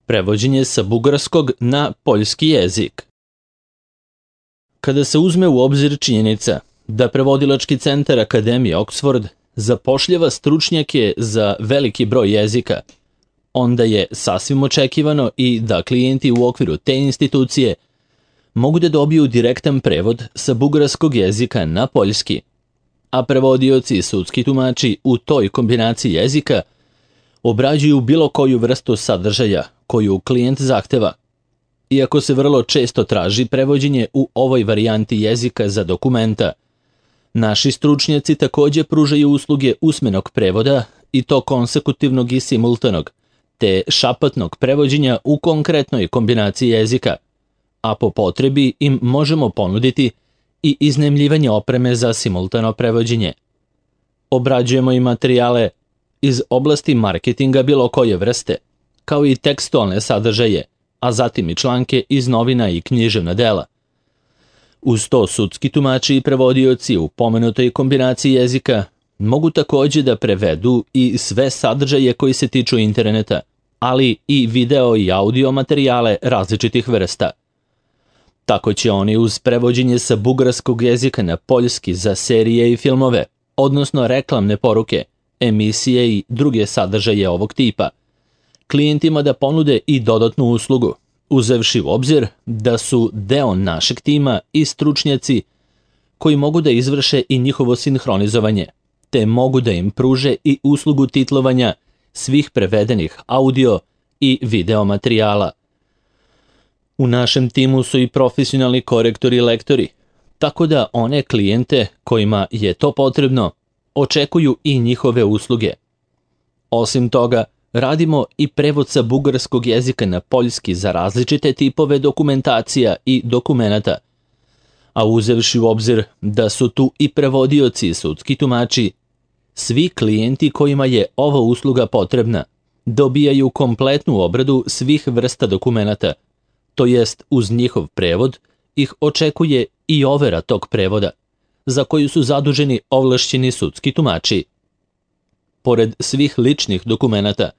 Prevođenje sa bugarskog na poljski jezik. Kada se uzme u obzir činjenica da prevodilački centar Akademije Oxford zapošljava stručnjake za veliki broj jezika, onda je sasvim očekivano i da klijenti u okviru te institucije mogu da dobiju direktan prevod sa bugarskog jezika na poljski, a prevodioci i sudski tumači u toj kombinaciji jezika obrađuju bilo koju vrstu sadržaja koju klijent zahteva. Iako se vrlo često traži prevođenje u ovoj varijanti jezika za dokumenta, naši stručnjaci također pružaju usluge usmenog prevoda i to konsekutivnog i simultanog, te šapatnog prevođenja u konkretnoj kombinaciji jezika, a po potrebi im možemo ponuditi i iznajmljivanje opreme za simultano prevođenje. Obrađujemo i materijale iz oblasti marketinga bilo koje vrste, kao i tekstualne sadržaje, a zatim i članke iz novina i književna dela. Uz to sudski tumači i prevodioci u pomenutoj kombinaciji jezika mogu također da prevedu i sve sadržaje koji se tiču interneta, ali i video i audio materijale različitih vrsta. Tako će oni uz prevođenje sa bugarskog jezika na poljski za serije i filmove, odnosno reklamne poruke, emisije i druge sadržaje ovog tipa, klijentima da ponude i dodatnu uslugu, uzevši u obzir da su deo našeg tima i stručnjaci koji mogu da izvrše i njihovo sinhronizovanje, te mogu da im pruže i uslugu titlovanja svih prevedenih audio i video materijala. U našem timu su i profesionalni korektori i lektori, tako da one klijente kojima je to potrebno očekuju i njihove usluge. Osim toga, radimo i prevod sa bugarskog jezika na poljski za različite tipove dokumentacija i dokumenata, a uzevši u obzir da su tu i prevodioci i sudski tumači, svi klijenti kojima je ova usluga potrebna dobijaju kompletnu obradu svih vrsta dokumenata, to jest uz njihov prevod ih očekuje i overa tog prevoda, za koju su zaduženi ovlašćeni sudski tumači. Pored svih ličnih dokumenata,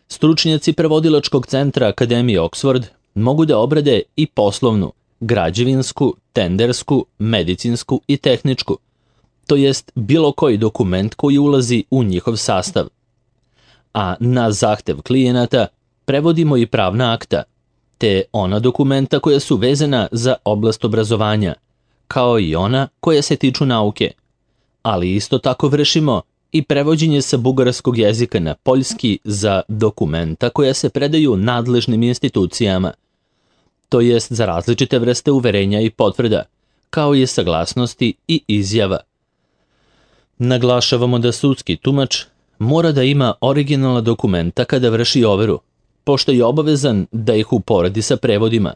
stručnjaci prevodilačkog centra Akademije Oxford mogu da obrade i poslovnu, građevinsku, tendersku, medicinsku i tehničku, to jest bilo koji dokument koji ulazi u njihov sastav. A na zahtev klijenata prevodimo i pravna akta, te ona dokumenta koja su vezana za oblast obrazovanja, kao i ona koja se tiču nauke, ali isto tako vršimo i prevođenje sa bugarskog jezika na poljski za dokumenta koja se predaju nadležnim institucijama, to jest za različite vrste uverenja i potvrda, kao i saglasnosti i izjava. Naglašavamo da sudski tumač mora da ima originalna dokumenta kada vrši overu, pošto je obavezan da ih uporedi sa prevodima,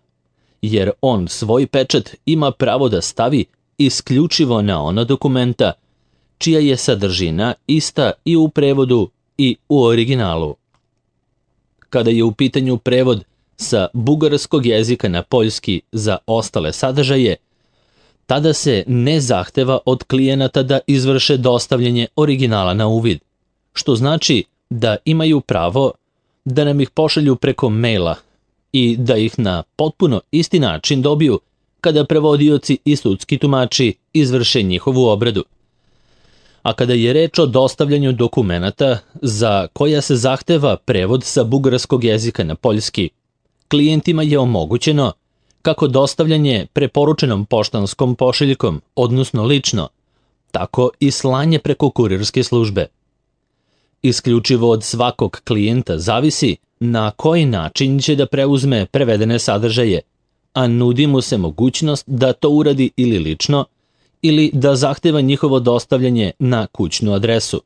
jer on svoj pečat ima pravo da stavi isključivo na ona dokumenta čija je sadržina ista i u prevodu i u originalu. Kada je u pitanju prevod sa bugarskog jezika na poljski za ostale sadržaje, tada se ne zahteva od klijenata da izvrše dostavljanje originala na uvid, što znači da imaju pravo da nam ih pošalju preko maila i da ih na potpuno isti način dobiju kada prevodioci i sudski tumači izvrše njihovu obradu. A kada je reč o dostavljanju dokumenata za koja se zahteva prevod sa bugarskog jezika na poljski, klijentima je omogućeno kako dostavljanje preporučenom poštanskom pošiljkom, odnosno lično, tako i slanje preko kurirske službe. Isključivo od svakog klijenta zavisi na koji način će da preuzme prevedene sadržaje, a nudi mu se mogućnost da to uradi ili lično, ili da zahteva njihovo dostavljanje na kućnu adresu,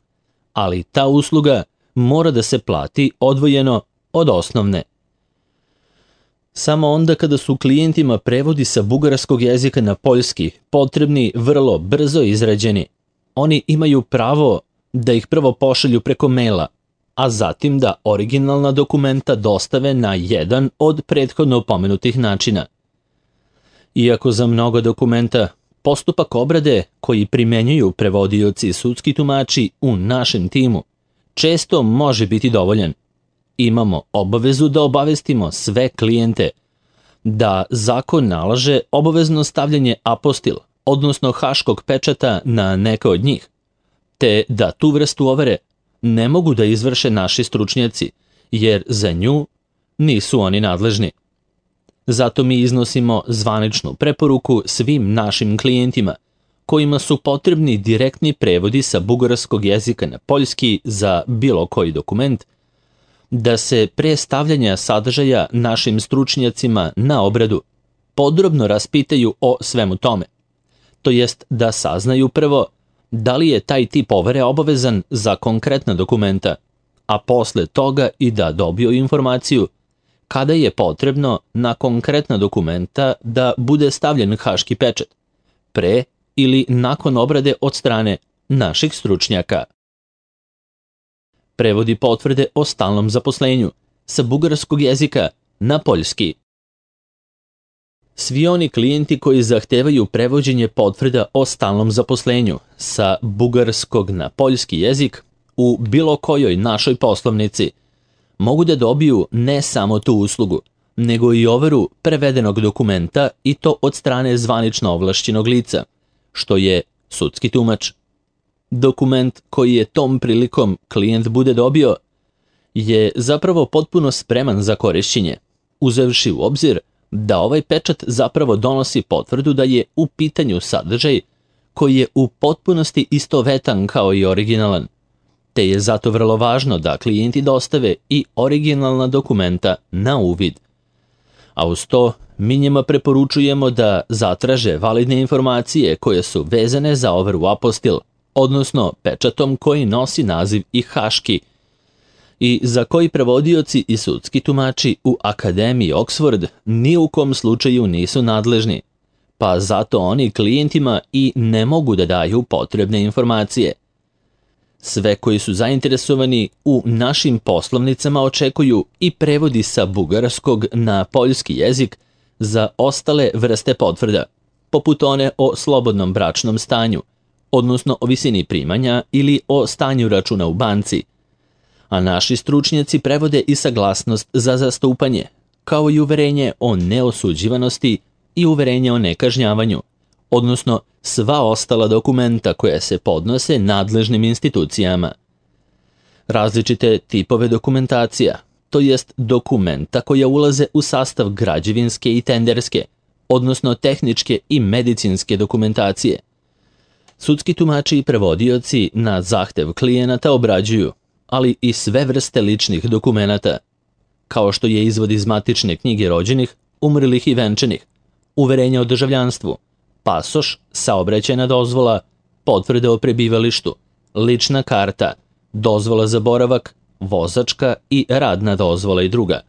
ali ta usluga mora da se plati odvojeno od osnovne. Samo onda kada su klijentima prevodi sa bugarskog jezika na poljski potrebni vrlo brzo izrađeni, oni imaju pravo da ih prvo pošalju preko maila, a zatim da originalna dokumenta dostave na jedan od prethodno pomenutih načina. Iako za mnogo dokumenta postupak obrade koji primenjuju prevodioci i sudski tumači u našem timu često može biti dovoljan, imamo obavezu da obavestimo sve klijente da zakon nalaže obavezno stavljanje apostil, odnosno haškog pečata na neka od njih, te da tu vrstu overe ne mogu da izvrše naši stručnjaci, jer za nju nisu oni nadležni. Zato mi iznosimo zvaničnu preporuku svim našim klijentima, kojima su potrebni direktni prevodi sa bugarskog jezika na poljski za bilo koji dokument, da se pre stavljanja sadržaja našim stručnjacima na obradu podrobno raspitaju o svemu tome. To jest da saznaju prvo da li je taj tip overe obavezan za konkretna dokumenta, a posle toga i da dobiju informaciju kada je potrebno na konkretna dokumenta da bude stavljen haški pečat, pre ili nakon obrade od strane naših stručnjaka. Prevodi potvrde o stalnom zaposlenju sa bugarskog jezika na poljski. Svi oni klijenti koji zahtevaju prevođenje potvrda o stalnom zaposlenju sa bugarskog na poljski jezik u bilo kojoj našoj poslovnici mogu da dobiju ne samo tu uslugu, nego i overu prevedenog dokumenta i to od strane zvanično ovlašćenog lica, što je sudski tumač. Dokument koji je tom prilikom klijent bude dobio je zapravo potpuno spreman za korišćenje, uzevši u obzir da ovaj pečat zapravo donosi potvrdu da je u pitanju sadržaj koji je u potpunosti istovetan kao i originalan, te je zato vrlo važno da klijenti dostave i originalna dokumenta na uvid. A uz to, mi njima preporučujemo da zatraže validne informacije koje su vezane za overu apostil, odnosno pečatom koji nosi naziv i haški, i za koji prevodioci i sudski tumači u Akademiji Oxford ni u kom slučaju nisu nadležni, pa zato oni klijentima i ne mogu da daju potrebne informacije. Sve koji su zainteresovani u našim poslovnicama očekuju i prevodi sa bugarskog na poljski jezik za ostale vrste potvrda, poput one o slobodnom bračnom stanju, odnosno o visini primanja ili o stanju računa u banci, a naši stručnjaci prevode i saglasnost za zastupanje, kao i uverenje o neosuđivanosti i uverenje o nekažnjavanju, odnosno sva ostala dokumenta koja se podnose nadležnim institucijama. Različite tipove dokumentacija, to jest dokumenta koja ulaze u sastav građevinske i tenderske, odnosno tehničke i medicinske dokumentacije. Sudski tumači i prevodioci na zahtev klijenata obrađuju, ali i sve vrste ličnih dokumenata, kao što je izvod iz matične knjige rođenih, umrlih i venčanih, uverenja o državljanstvu, pasoš, saobraćajna dozvola, potvrde o prebivalištu, lična karta, dozvola za boravak, vozačka i radna dozvola i druga.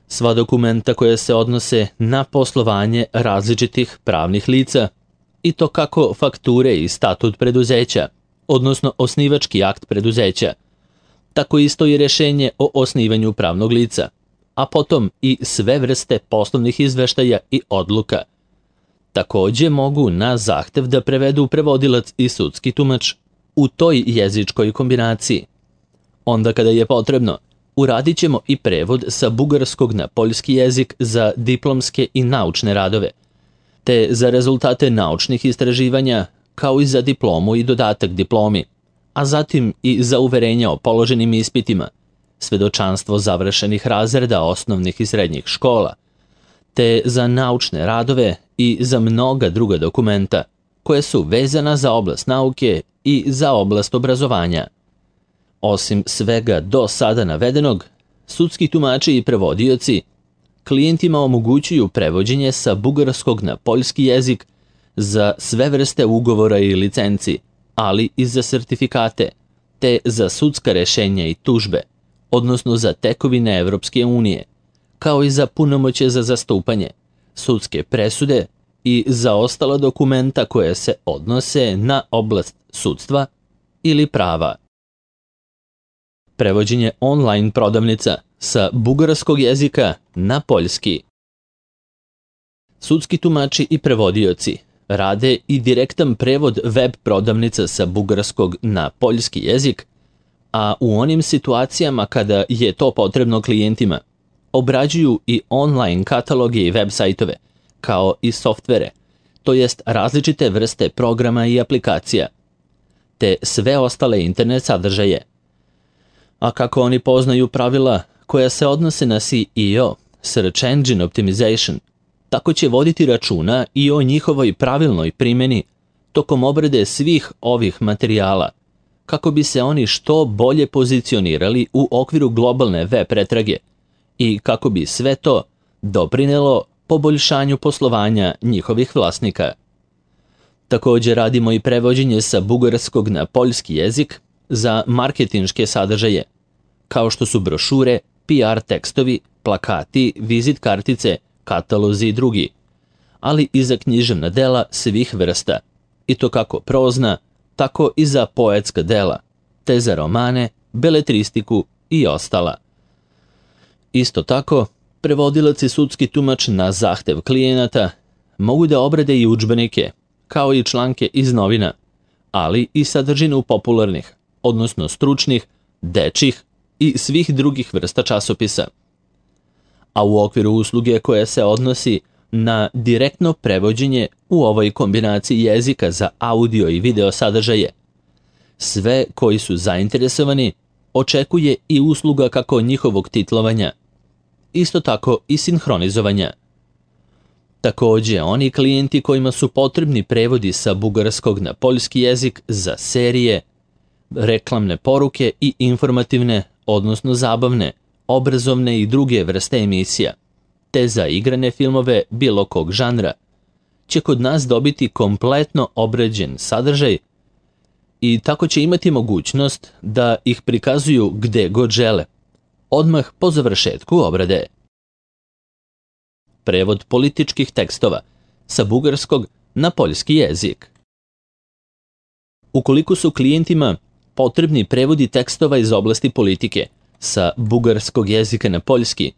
Sva dokumenta koja se odnose na poslovanje različitih pravnih lica, i to kako fakture i statut preduzeća, odnosno osnivački akt preduzeća, tako isto i rješenje o osnivanju pravnog lica, a potom i sve vrste poslovnih izveštaja i odluka. Takođe mogu na zahtev da prevedu prevodilac i sudski tumač u toj jezičkoj kombinaciji. Onda kada je potrebno, uradit ćemo i prevod sa bugarskog na poljski jezik za diplomske i naučne radove, te za rezultate naučnih istraživanja, kao i za diplomu i dodatak diplomi, a zatim i za uverenja o položenim ispitima, svedočanstvo završenih razreda osnovnih i srednjih škola, te za naučne radove i za mnoga druga dokumenta koje su vezana za oblast nauke i za oblast obrazovanja. Osim svega do sada navedenog, sudski tumači i prevodioci klijentima omogućuju prevođenje sa bugarskog na poljski jezik za sve vrste ugovora i licenci, ali i za sertifikate, te za sudska rešenja i tužbe, odnosno za tekovine Evropske unije, kao i za punomoćje za zastupanje, sudske presude i za ostala dokumenta koje se odnose na oblast sudstva ili prava. Prevođenje online prodavnica sa bugarskog jezika na poljski. Sudski tumači i prevodioci rade i direktan prevod web prodavnica sa bugarskog na poljski jezik, a u onim situacijama kada je to potrebno klijentima, obrađuju i online kataloge i web sajtove, kao i softvere, to jest različite vrste programa i aplikacija, te sve ostale internet sadržaje. A kako oni poznaju pravila koja se odnose na SEO, Search Engine Optimization, tako će voditi računa i o njihovoj pravilnoj primjeni tokom obrade svih ovih materijala, kako bi se oni što bolje pozicionirali u okviru globalne web pretrage i kako bi sve to doprinelo poboljšanju poslovanja njihovih vlasnika. Također radimo i prevođenje sa bugarskog na poljski jezik za marketinške sadržaje, kao što su brošure, PR tekstovi, plakati, vizit kartice, katalozi i drugi, ali i za književna dela svih vrsta, i to kako prozna, tako i za poetska dela, te za romane, beletristiku i ostala. Isto tako, prevodilac i sudski tumač na zahtev klijenata mogu da obrade i udžbenike, kao i članke iz novina, ali i sadržinu popularnih, odnosno stručnih, dečjih i svih drugih vrsta časopisa. A u okviru usluge koja se odnosi na direktno prevođenje u ovoj kombinaciji jezika za audio i video sadržaje, sve koji su zainteresovani očekuje i usluga kako njihovog titlovanja, isto tako i sinhronizovanja. Također, oni klijenti kojima su potrebni prevodi sa bugarskog na poljski jezik za serije, reklamne poruke i informativne, odnosno zabavne, obrazovne i druge vrste emisija, te za igrane filmove bilo kog žanra, će kod nas dobiti kompletno obrađen sadržaj i tako će imati mogućnost da ih prikazuju gde god žele, odmah po završetku obrade. Prevod političkih tekstova sa bugarskog na poljski jezik. Ukoliko su klijentima potrebni prevodi tekstova iz oblasti politike sa bugarskog jezika na poljski,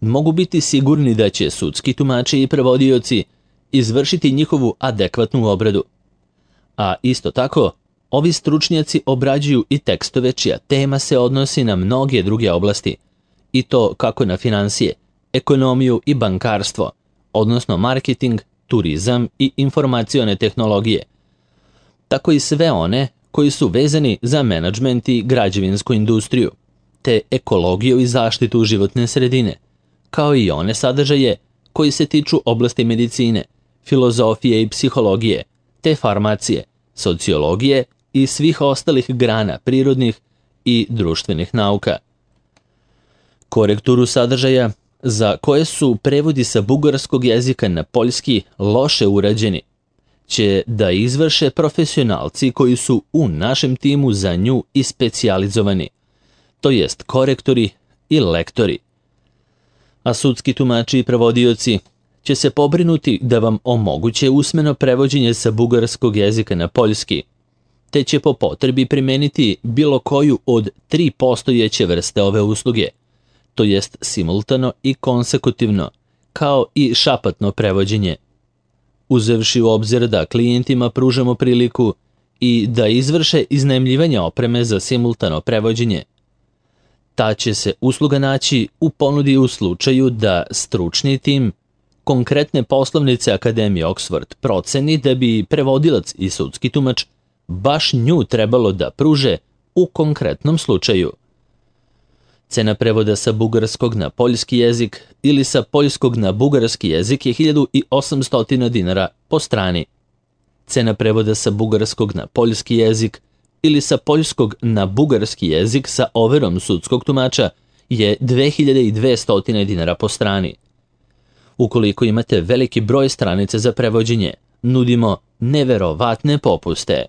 mogu biti sigurni da će sudski tumači i prevodioci izvršiti njihovu adekvatnu obradu. A isto tako, ovi stručnjaci obrađuju i tekstove čija tema se odnosi na mnoge druge oblasti, i to kako na financije, ekonomiju i bankarstvo, odnosno marketing, turizam i informacione tehnologije, tako i sve one koji su vezani za menadžment i građevinsku industriju, te ekologiju i zaštitu životne sredine, kao i one sadržaje koji se tiču oblasti medicine, filozofije i psihologije, te farmacije, sociologije i svih ostalih grana prirodnih i društvenih nauka. Korekturu sadržaja za koje su prevodi sa bugarskog jezika na poljski loše urađeni, će da izvrše profesionalci koji su u našem timu za nju i specijalizovani, to jest korektori i lektori. A sudski tumači i prevodioci će se pobrinuti da vam omoguće usmeno prevođenje sa bugarskog jezika na poljski, te će po potrebi primeniti bilo koju od 3 postojeće vrste ove usluge, to jest simultano i konsekutivno, kao i šapatno prevođenje. Uzevši u obzir da klijentima pružamo priliku i da izvrše iznajmljivanje opreme za simultano prevođenje, ta će se usluga naći u ponudi u slučaju da stručni tim konkretne poslovnice Akademije Oxford proceni da bi prevodilac i sudski tumač baš nju trebalo da pruže u konkretnom slučaju. Cena prevoda sa bugarskog na poljski jezik ili sa poljskog na bugarski jezik je 1800 dinara po strani. Cena prevoda sa bugarskog na poljski jezik ili sa poljskog na bugarski jezik sa overom sudskog tumača je 2200 dinara po strani. Ukoliko imate veliki broj stranica za prevođenje, nudimo neverovatne popuste.